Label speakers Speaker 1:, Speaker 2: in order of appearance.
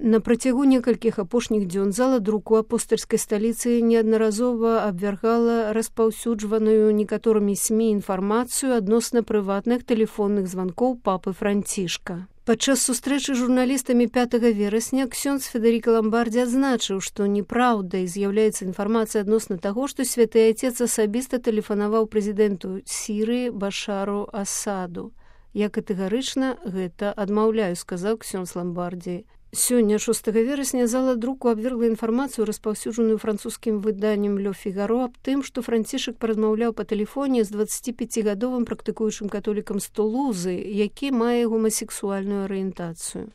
Speaker 1: На працягу некалькіх апошніх дзён зала друку апостальскай сталіцы неаднаразова абвяргала распаўсюджваную некаторымі СМІ інфармацыю адносна прыватных тэлефонных званкоў папы Францішка. Падчас сустрэчы з журналістамі 5 верасня ксёндз Федэріка Ламбардзі адзначыў, што неправдай з'яўляецца інфармацыя адносна таго, што святы айцец асабіста тэлефанаваў прэзідэнту Сірыі Башару Асаду. Я катэгарычна гэта адмаўляю, сказаў ксёндз Ламбардзі. Сёння, 6 верасня, зала друку абвергла інфармацыю, распаўсюджаную французскім выданнем «Ле Фігаро» аб тым, што Францішак паразмаўляў па тэлефоне з 25-гадовым практыкуючым католікам з Тулузы, які мае гомасексуальную арыентацыю.